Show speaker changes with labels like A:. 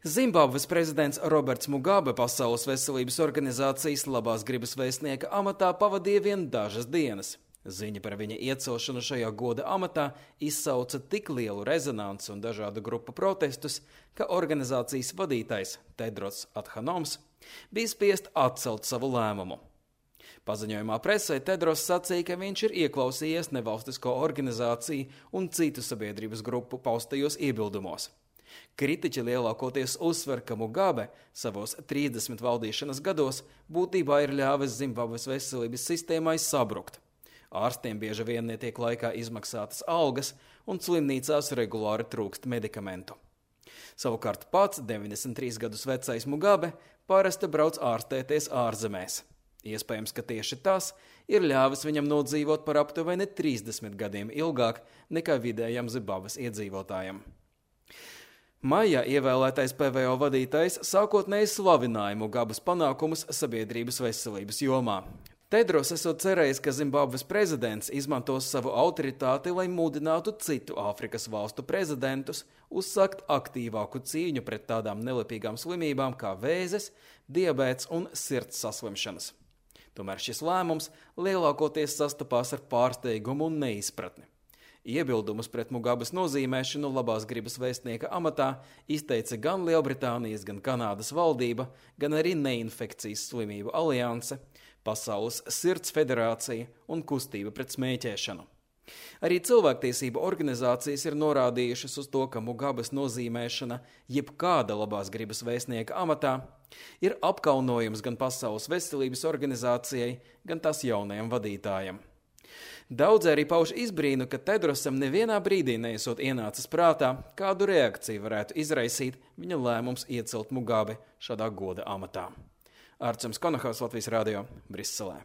A: Zimbabves prezidents Roberts Mugabe Pasaules veselības organizācijas labās gribas vēstnieka amatā pavadīja vien dažas dienas. Ziņa par viņa iecelšanu šajā goda amatā izsauca tik lielu rezonanci un dažādu grupu protestus, ka organizācijas vadītājs Tedros Adhanoms bija spiest atcelt savu lēmumu. Paziņojumā presē Tedros sacīja, ka viņš ir ieklausījies nevalstisko organizāciju un citu sabiedrības grupu paustajos iebildumos. Kritiķi lielākoties uzsver, ka Mugabe savos 30 valdīšanas gados būtībā ir ļāvis Zimbabves veselības sistēmai sabrukt. Ārstiem bieži vien netiek laikā izmaksātas algas un slimnīcās regulāri trūkst medikamentu. Savukārt pats 93 gadus vecais Mugabe parasti brauc ārstēties ārzemēs. Iespējams, ka tieši tas ir ļāvis viņam nodzīvot par aptuveni 30 gadiem ilgāk nekā vidējam Zimbabves iedzīvotājam. Maijā ievēlētais PVO vadītājs sākotnēji slavināja Mugabes panākumus sabiedrības veselības jomā. Tedros esot cerējis, ka Zimbabves prezidents izmantos savu autoritāti, lai mudinātu citu Āfrikas valstu prezidentus uzsākt aktīvāku cīņu pret tādām nelepīgām slimībām kā vēzes, diabēts un sirds saslimšanas. Tomēr šis lēmums lielākoties sastapās ar pārsteigumu un neizpratni. Iebildumus pret Mugabes nozīmēšanu labās gribas vēstnieka amatā izteica gan Lielbritānijas, gan Kanādas valdība, gan arī Neinfekcijas slimību alianse, Pasaules sirds federācija un kustība pret smēķēšanu. Arī cilvēktiesību organizācijas ir norādījušas uz to, ka Mugabes nozīmēšana jebkāda labās gribas vēstnieka amatā ir apkaunojums gan Pasaules veselības organizācijai, gan tās jaunajam vadītājam. Daudz arī pauž izbrīnu, ka Tedrosam nevienā brīdī neesot ienācis prātā, kādu reakciju varētu izraisīt viņa lēmums iecelt Mugabe šādā goda amatā. Ārčuns Konahaus, Latvijas radio, Briselē.